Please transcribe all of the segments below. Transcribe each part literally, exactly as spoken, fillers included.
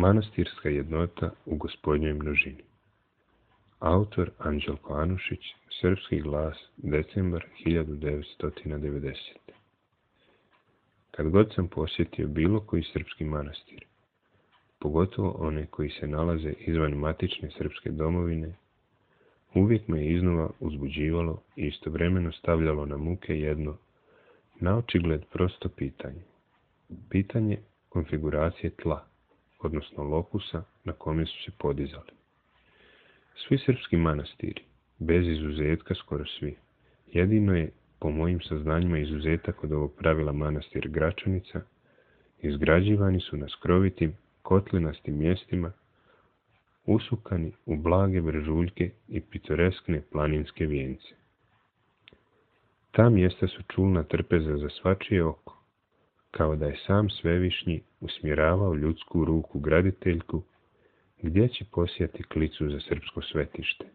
Manastirska jednota u Gospodnjoj množini. Autor Anđelko Anušić, Srpski glas, decembar hiljadu devetsto devedesete. Kad god sam posjetio bilo koji srpski manastir, pogotovo one koji se nalaze izvan matične srpske domovine, uvijek me iznova uzbuđivalo i istovremeno stavljalo na muke jedno, naočigled prosto pitanje. Pitanje konfiguracije tla, odnosno lokusa na kome su se podizali. Svi srpski manastiri, bez izuzetka skoro svi, jedino je, po mojim saznanjima, izuzetak od ovog pravila manastir Gračanica, izgrađivani su na skrovitim, kotlinastim mjestima, usukani u blage brežuljke i pitoreskne planinske vijence. Ta mjesta su čulna trpeza za svačije oko, kao da je sam Svevišnji usmjeravao ljudsku ruku graditeljku gdje će posijati klicu za srpsko svetište.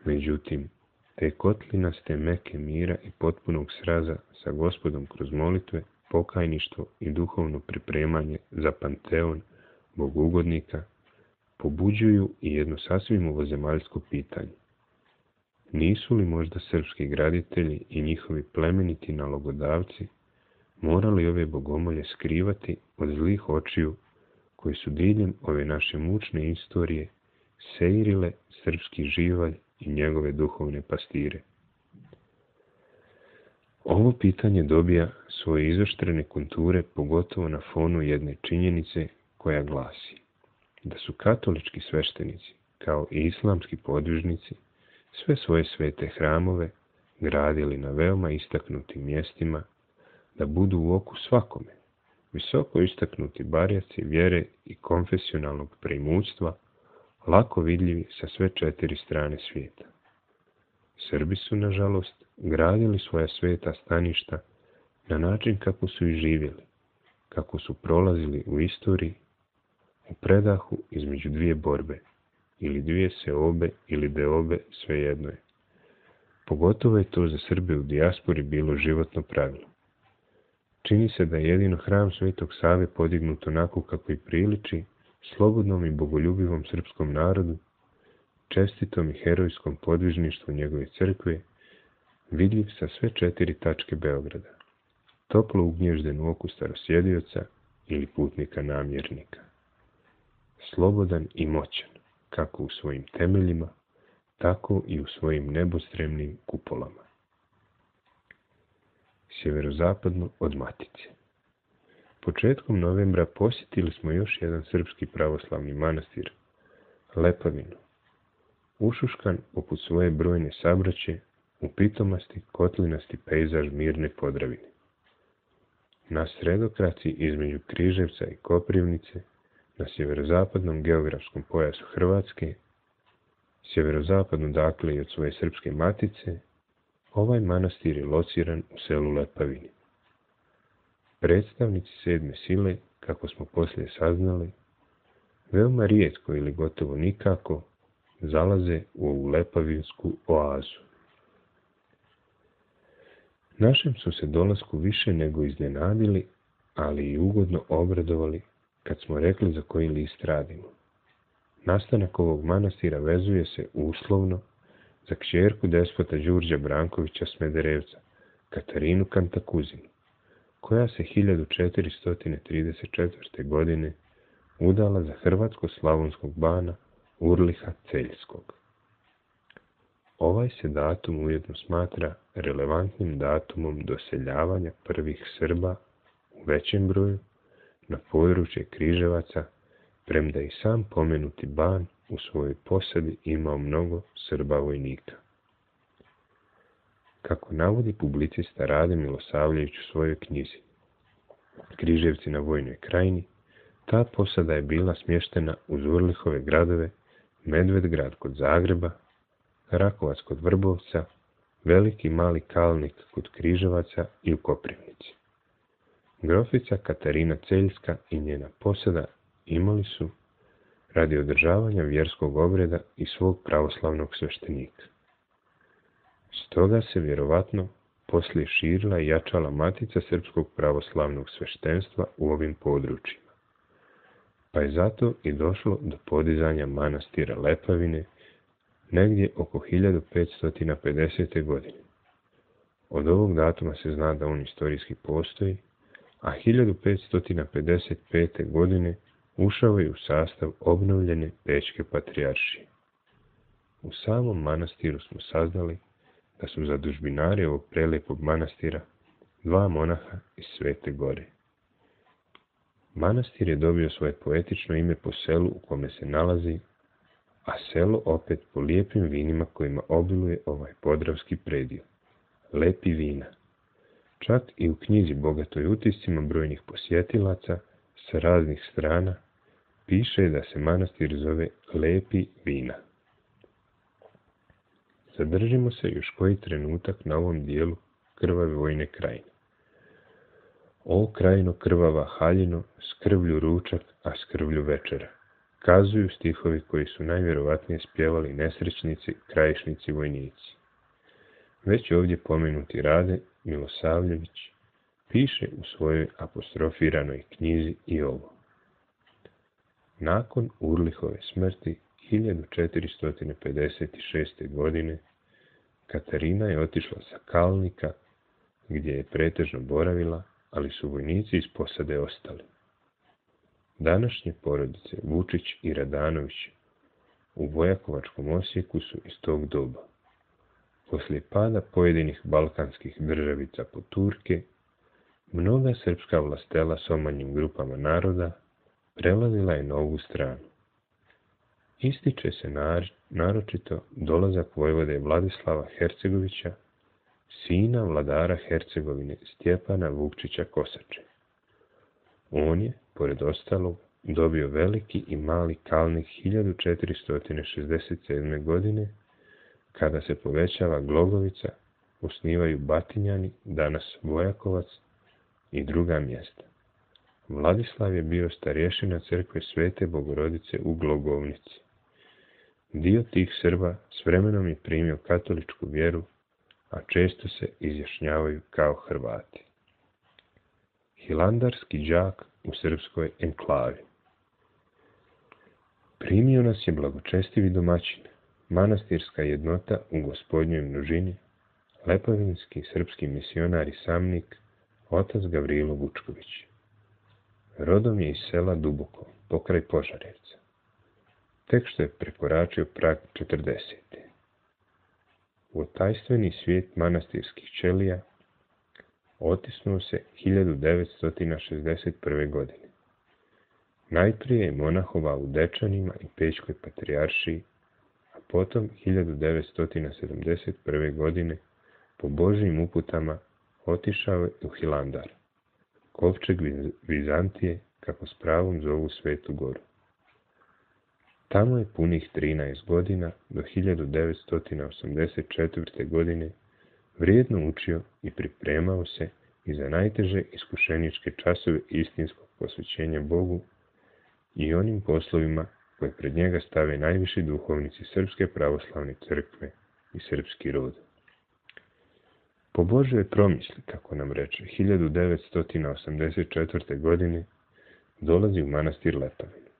Međutim, te kotlinaste meke mira i potpunog sraza sa Gospodom kroz molitve, pokajništvo i duhovno pripremanje za panteon bogugodnika pobuđuju i jedno sasvim ovozemaljsko pitanje. Nisu li možda srpski graditelji i njihovi plemeniti nalogodavci morali ove bogomolje skrivati od zlih očiju koji su diljem ove naše mučne istorije seirile srpski živalj i njegove duhovne pastire? Ovo pitanje dobija svoje izoštrene konture pogotovo na fonu jedne činjenice koja glasi da su katolički sveštenici, kao i islamski podvižnici, sve svoje svete hramove gradili na veoma istaknutim mjestima da budu u oku svakome, visoko istaknuti barjaci vjere i konfesionalnog preimućstva, lako vidljivi sa sve četiri strane svijeta. Srbi su, nažalost, gradili svoja sveta staništa na način kako su i živjeli, kako su prolazili u istoriji, u predahu između dvije borbe, ili dvije seobe ili deobe, svejedno je. Pogotovo je to za Srbe u dijaspori bilo životno pravilo. Čini se da je jedino hram Svetog Save podignut onako kako i priliči slobodnom i bogoljubivom srpskom narodu, čestitom i herojskom podvižništvu njegove crkve, vidljiv sa sve četiri tačke Beograda, toplo ugnježden u oku starosjedioca ili putnika namjernika. Slobodan i moćan, kako u svojim temeljima, tako i u svojim nebostremnim kupolama. Sjeverozapadno od Matice. Početkom novembra posjetili smo još jedan srpski pravoslavni manastir, Lepavinu, ušuškan poput svoje brojne sabraće u pitomasti kotlinasti pejzaž mirne Podravine. Na sredokraci između Križevca i Koprivnice, na sjeverozapadnom geografskom pojasu Hrvatske, sjeverozapadno dakle i od svoje srpske matice, ovaj manastir je lociran u selu Lepavini. Predstavnici sedme sile, kako smo poslije saznali, veoma rijetko ili gotovo nikako zalaze u ovu lepavinsku oazu. Našem su se dolasku više nego iznenadili, ali i ugodno obradovali kad smo rekli za koji list radimo. Nastanak ovog manastira vezuje se uslovno za kćerku despota Đurđa Brankovića Smederevca, Katarinu Kantakuzinu, koja se hiljadu četiristo trideset četvrte. godine udala za hrvatsko-slavonskog bana Urliha Celjskog. Ovaj se datum ujedno smatra relevantnim datumom doseljavanja prvih Srba u većem broju na područje Križevaca, premda i sam pomenuti ban u svojoj posadi imao mnogo Srba vojnika. Kako navodi publicista Rade Milosavljević u svojoj knjizi Križevci na Vojnoj krajini, ta posada je bila smještena uz Urlihove gradove Medvedgrad kod Zagreba, Rakovac kod Vrbovca, Veliki Mali Kalnik kod Križevaca i u Koprivnici. Grofica Katarina Celjska i njena posada imali su, radi održavanja vjerskog obreda i svog pravoslavnog sveštenika. Stoga se vjerovatno poslije širila i jačala matica srpskog pravoslavnog sveštenstva u ovim područjima. pa je zato i došlo do podizanja manastira Lepavine negdje oko hiljadu petsto pedesete. godine. Od ovog datuma se zna da on istorijski postoji, a hiljadu petsto pedeset pete. godine ušao je u sastav obnovljene Pečke patrijaršije. U samom manastiru smo saznali da su zadužbinari ovog prelijepog manastira dva monaha iz Svete Gore. Manastir je dobio svoje poetično ime po selu u kome se nalazi, a selo opet po lijepim vinima kojima obiluje ovaj podravski predio. Lepi vina. Čak i u knjizi bogatoj utiscima brojnih posjetilaca sa raznih strana piše da se manastir zove Lepi vina. Zadržimo se još koji trenutak na ovom dijelu krvave vojne krajine. O krajino krvava haljino, s krvlju ručak, a s krvlju večera, kazuju stihovi koji su najvjerovatnije spjevali nesrećnici, krajišnici, vojnici. Već ovdje pomenuti Rade Milosavljević piše u svojoj apostrofiranoj knjizi i ovo. Nakon Urlihove smrti hiljadu četiristo pedeset šeste. godine Katarina je otišla sa Kalnika, gdje je pretežno boravila, ali su vojnici iz posade ostali. Današnje porodice Vučić i Radanović u Vojakovačkom Osijeku su iz tog doba. Poslije pada pojedinih balkanskih državica pod Turke, mnoga srpska vlastela s omanjim grupama naroda prelazila je na ovu stranu. Ističe se naročito dolazak vojvode Vladislava Hercegovića, sina vladara Hercegovine Stjepana Vukčića Kosače. On je, pored ostalog, dobio veliki i mali Kalnik hiljadu četiristo šezdeset sedme. godine, kada se povećava Glogovica, osnivaju Batinjani, danas Vojakovac, i druga mjesta. Vladislav je bio starješina crkve Svete Bogorodice u Glogovnici. Dio tih Srba s vremenom je primio katoličku vjeru, a često se izjašnjavaju kao Hrvati. Hilandarski đak u srpskoj enklavi. Primio nas je blagočestivi domaćin, manastirska jednota u Gospodnjoj množini, lepavinski srpski misionar i samnik, otac Gavrilo Vučković. Rodom je iz sela Duboko, pokraj Požarevca. Tek što je prekoračio prag četrdesete. U tajstveni svijet manastirskih ćelija otisnuo se hiljadu devetsto šezdeset prve. godine. Najprije je monahovao u Dečanima i Pečkoj patrijaršiji, a potom hiljadu devetsto sedamdeset prve. godine po Božjim uputama otišao je u Hilandar, kovčeg Vizantije, kako s pravom zovu Svetu Goru. Tamo je punih trinaest godina do hiljadu devetsto osamdeset četvrte. godine vrijedno učio i pripremao se i za najteže iskušeničke časove istinskog posvećenja Bogu i onim poslovima koje pred njega stave najviši duhovnici Srpske pravoslavne crkve i srpski rod. Po Božjoj promisli, kako nam reče, hiljadu devetsto osamdeset četvrte. godine dolazi u manastir Lepavinu.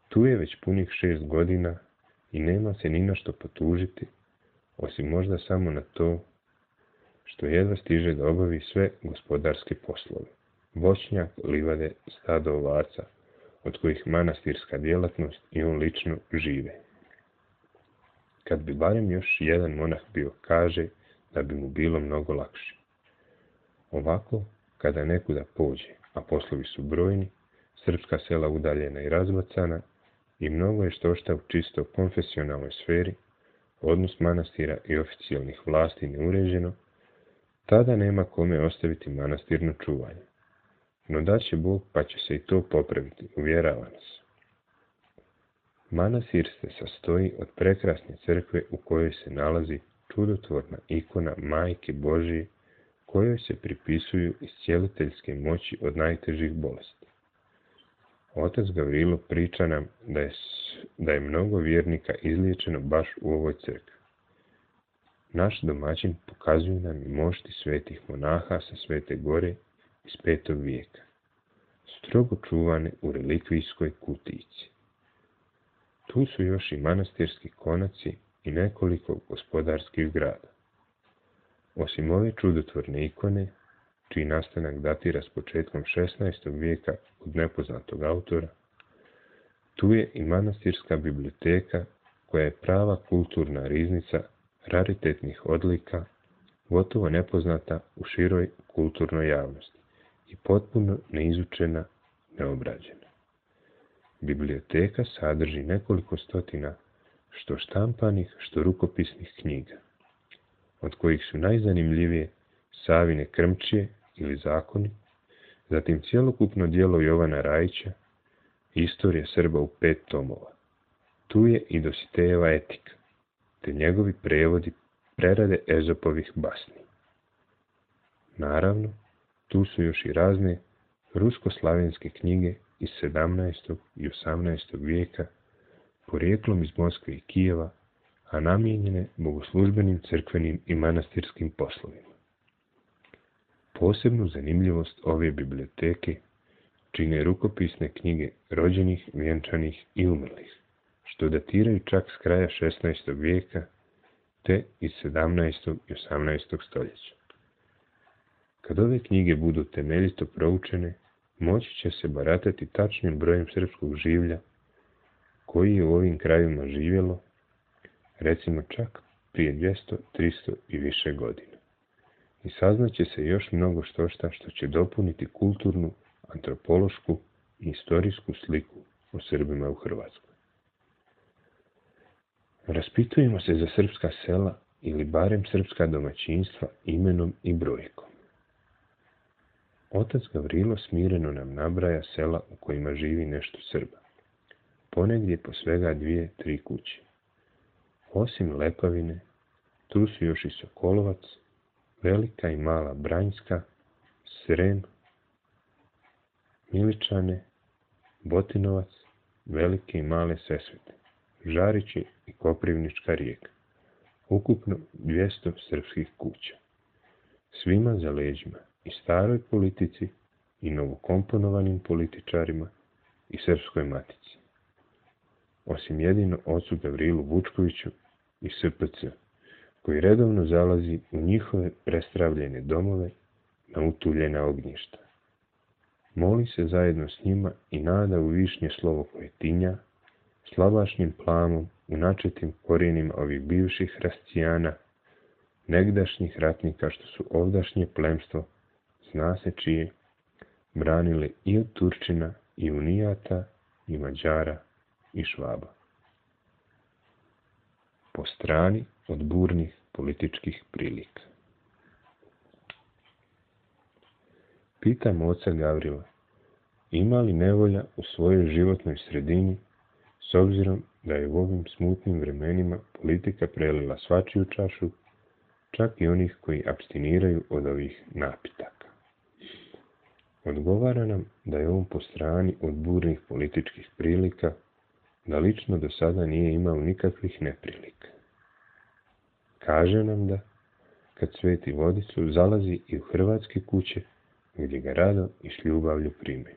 Tu je već punih šest godina i nema se ni na što potužiti, osim možda samo na to što jedva stiže da obavi sve gospodarske poslove. Voćnjak, livade, stado ovaca, od kojih manastirska djelatnost i on lično žive. Kad bi barem još jedan monah bio, kaže da bi mu bilo mnogo lakše. Ovako, kada nekuda pođe, a poslovi su brojni, srpska sela udaljena i razbacana, i mnogo je što šta u čisto konfesionalnoj sferi, odnos manastira i oficijalnih vlasti neuređeno, tada nema kome ostaviti manastirno čuvanje. No daće Bog, pa će se i to popraviti, uvjerava nas. Manastir se sastoji od prekrasne crkve u kojoj se nalazi čudotvorna ikona Majke Božije, kojoj se pripisuju iscijeliteljske moći od najtežih bolesti. Otac Gavrilo priča nam da je, da je mnogo vjernika izliječeno baš u ovoj crkvi. Naš domaćin pokazuje nam i mošti svetih monaha sa Svete Gore iz petog vijeka. strogo čuvane u relikvijskoj kutijici. Tu su još i manastirski konaci i nekoliko gospodarskih zgrada. Osim ove čudotvorne ikone, čiji nastanak datira s početkom šesnaestog vijeka od nepoznatog autora, tu je i manastirska biblioteka koja je prava kulturna riznica raritetnih odlika, gotovo nepoznata u široj kulturnoj javnosti i potpuno neizučena, neobrađena. Biblioteka sadrži nekoliko stotina što štampanih, što rukopisnih knjiga, od kojih su najzanimljivije Savine Krmčije ili Zakoni, zatim cjelokupno djelo Jovana Rajića, Istorija Srba u pet tomova. Tu je i Dositejeva Etika, te njegovi prevodi prerade Ezopovih basni. Naravno, tu su još i razne rusko-slavenske knjige iz sedamnaestog i osamnaestog vijeka, porijeklom iz Moskve i Kijeva, a namijenjene bogoslužbenim, crkvenim i manastirskim poslovima. Posebnu zanimljivost ove biblioteke čine rukopisne knjige rođenih, vjenčanih i umrlih, što datiraju čak s kraja šesnaestog vijeka, te iz sedamnaestog i osamnaestog stoljeća. Kad ove knjige budu temeljito proučene, moći će se baratati tačnim brojem srpskog življa koji je u ovim krajima živjelo, recimo čak prije dvjesto, tristo i više godina. I saznaće se još mnogo štošta što će dopuniti kulturnu, antropološku i istorijsku sliku o Srbima u Hrvatskoj. Raspitujemo se za srpska sela ili barem srpska domaćinstva imenom i brojkom. Otac Gavrilo smireno nam nabraja sela u kojima živi nešto Srba. Ponegdje po svega dvije, tri kuće. Osim Lepavine, tu su još i Sokolovac, Velika i Mala Branjska, Srem, Miličane, Botinovac, Velike i Male Sesvete, Žarići i Koprivnička Rijeka. Ukupno dvjesto srpskih kuća. Svima za leđima i staroj politici i novokomponovanim političarima i srpskoj matici. Osim jedino ocu Gavrilu Vučkoviću i S P C, koji redovno zalazi u njihove prestravljene domove na utuljena ognjišta. Moli se zajedno s njima i nada u višnje slovo koje tinja, slabašnim plamom u načetim korijenima ovih bivših hrasticijana, negdašnjih ratnika što su ovdašnje plemstvo, zna se čije, branili i od Turčina, i Unijata, i Mađara, i Švaba. Po strani od burnih političkih prilika. Pitam oca Gavrila, ima li nevolja u svojoj životnoj sredini, s obzirom da je u ovim smutnim vremenima politika prelila svačiju čašu, čak i onih koji apstiniraju od ovih napitaka. Odgovara nam da je on po strani od burnih političkih prilika, da lično do sada nije imao nikakvih neprilika. Kaže nam da, kad sveti vodicu, zalazi i u hrvatske kuće, gdje ga rado i s ljubavlju primaju.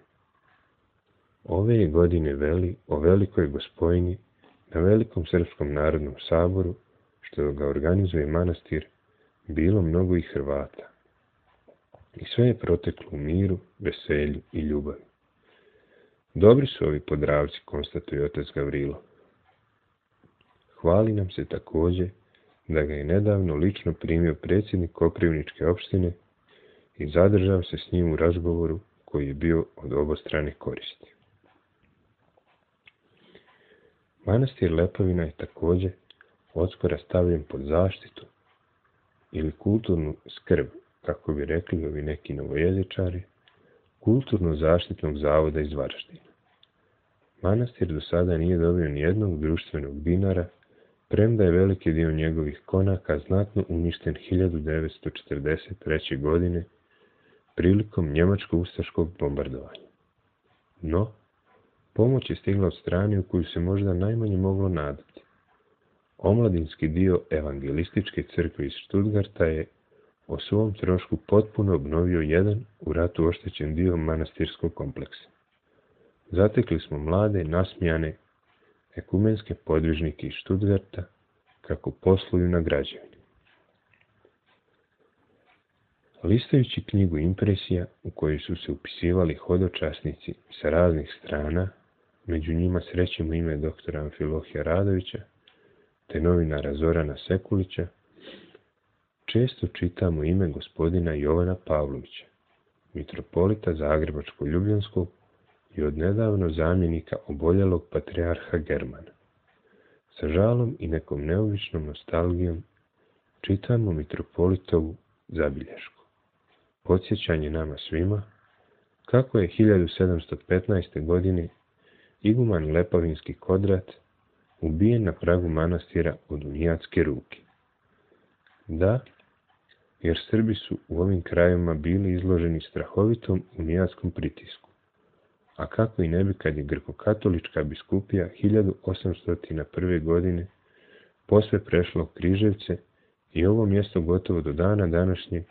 Ove je godine veli o Velikoj Gospojni na Velikom Srpskom narodnom saboru, što ga organizuje manastir, bilo mnogo i Hrvata. I sve je proteklo u miru, veselju i ljubavi. Dobri su ovi Podravci, konstatuje otac Gavrilo. Hvali nam se također da ga je nedavno lično primio predsjednik Koprivničke opštine i zadržao se s njim u razgovoru koji je bio od obostrane koristi. Manastir Lepavina je također odskora stavljen pod zaštitu ili kulturnu skrb, kako bi rekli ovi neki novojezičari, kulturno-zaštitnog zavoda iz Varaždina. Manastir do sada nije dobio ni jednog društvenog dinara, premda je veliki dio njegovih konaka znatno uništen hiljadu devetsto četrdeset treće. godine prilikom njemačko-ustaškog bombardovanja. No, pomoć je stigla od strane u koju se možda najmanje moglo nadati. Omladinski dio evangelističke crkve iz Stuttgarta je o svom trošku potpuno obnovio jedan u ratu oštećen dio manastirskog kompleksa. Zatekli smo mlade, nasmijane, ekumenske podvižnike iz Stuttgarta kako posluju na građevini. Listajući knjigu impresija u kojoj su se upisivali hodočasnici sa raznih strana, među njima srećemo ime doktora Amfilohija Radovića te novinara Zorana Sekulića, često čitamo ime gospodina Jovana Pavlovića, mitropolita Zagrebačko-Ljubljanskog i odnedavno zamjenika oboljelog patrijarha Germana. Sa žalom i nekom neobičnom nostalgijom čitamo mitropolitovu zabilješku. Podsjećanje nama svima kako je hiljadu sedamsto petnaeste. godine iguman Lepavinski Kodrat ubijen na pragu manastira od unijatske ruke. Da, jer Srbi su u ovim krajevima bili izloženi strahovitom unijatskom pritisku. A kako i ne bi kad je grkokatolička biskupija hiljadu osamsto prve. godine posve prešla u Križevce i ovo mjesto gotovo do dana današnjeg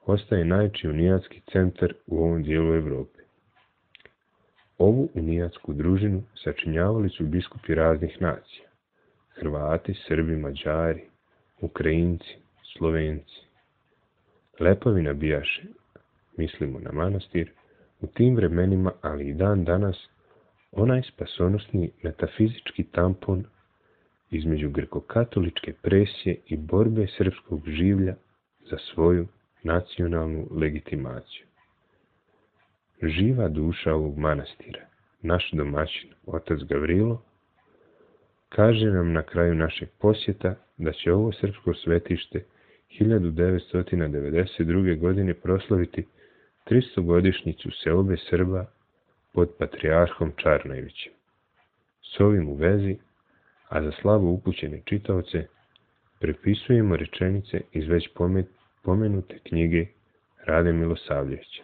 ostaje najveći unijatski centar u ovom dijelu Evrope. Ovu unijatsku družinu sačinjavali su biskupi raznih nacija. Hrvati, Srbi, Mađari, Ukrajinci, Slovenci. Lepavina bijaše, mislimo na manastir, u tim vremenima, ali i dan danas, onaj spasonosni metafizički tampon između grkokatoličke presije i borbe srpskog življa za svoju nacionalnu legitimaciju. Živa duša ovog manastira, naš domaćin, otac Gavrilo, kaže nam na kraju našeg posjeta da će ovo srpsko svetište hiljadu devetsto devedeset druge. godine proslaviti tristogodišnjicu seobe Srba pod patrijarhom Čarnojevićem. S ovim u vezi, a za slabo upućene čitaoce, prepisujemo rečenice iz već pomenute knjige Rade Milosavljevića.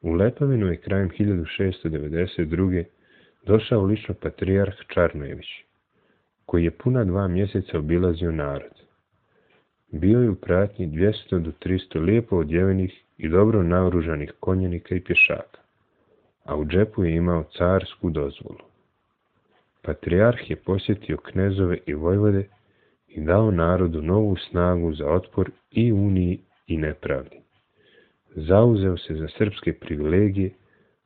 U Lepavinu je krajem hiljadu šeststo devedeset druge. došao lično patrijarh Čarnojević, koji je puna dva mjeseca obilazio narod. Bio je u pratnji dvjesto do tristo lijepo odjevenih i dobro naoružanih konjenika i pješaka, a u džepu je imao carsku dozvolu. Patrijarh je posjetio knezove i vojvode i dao narodu novu snagu za otpor i uniji i nepravdi. Zauzeo se za srpske privilegije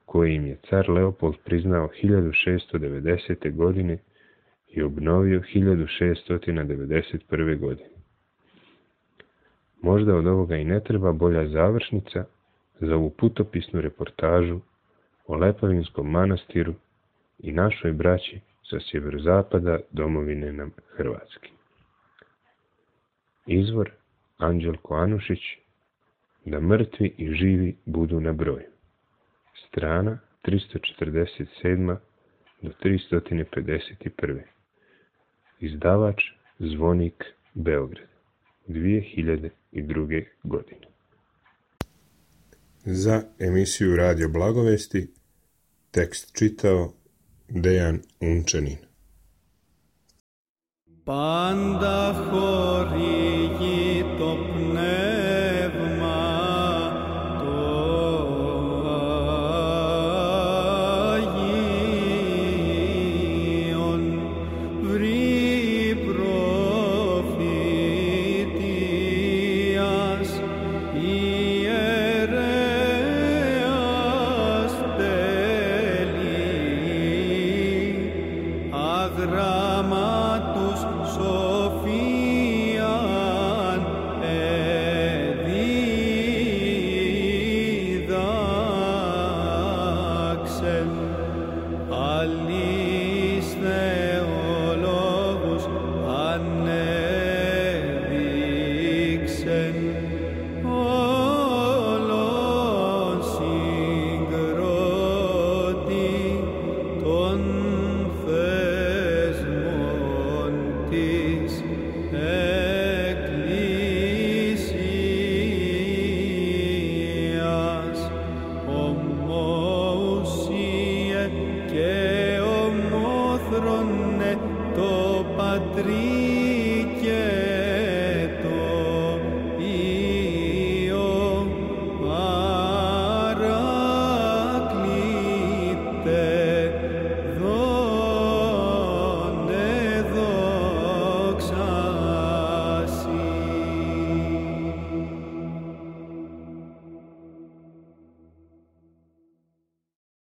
koje im je car Leopold priznao hiljadu šeststo devedesete. godine i obnovio hiljadu šeststo devedeset prve. godine. Možda od ovoga i ne treba bolja završnica za ovu putopisnu reportažu o Lepavinskom manastiru i našoj braći sa sjeverozapada domovine nam Hrvatske. Izvor Anđelko Anušić, Da mrtvi i živi budu na broju. Strana tristo četrdeset sedam do tristo pedeset prva. Izdavač Zvonik, Beograd, dvije hiljade druge. godine. Za emisiju Radio Blagovesti tekst čitao Dejan Unčanin. Πάντα χορηγεί το πνεύμα το Αγίον, βρει προφητείας ιερέας τέλει, αγράμματος σοφίαν εδίδαξεν, αλής θεολόγους ανέδειξεν, όλον συγκρότη των θεσμών της Εκκλησίας, ομοουσίε και ομόθρονε το Πατρί και